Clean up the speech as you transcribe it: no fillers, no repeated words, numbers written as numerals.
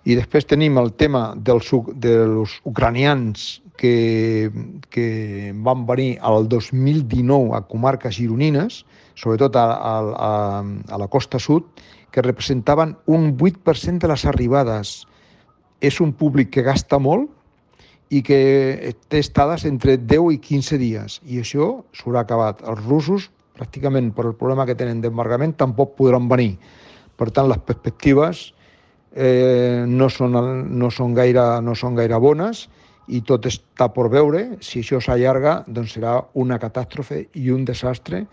I després tenim el tema dels ucranians que van venir al 2019 a comarques gironines, sobretot a la costa sud, que representaven un 8% de les arribades. És un públic que gasta molt i que té estades entre 10 i 15 dies, i això s'haurà acabat. Els russos, pràcticament per el problema que tenen d'embargament, tampoc podran venir. Per tant, les perspectives no són gaire bones, i tot està per veure. Si això s'allarga, doncs serà una catàstrofe i un desastre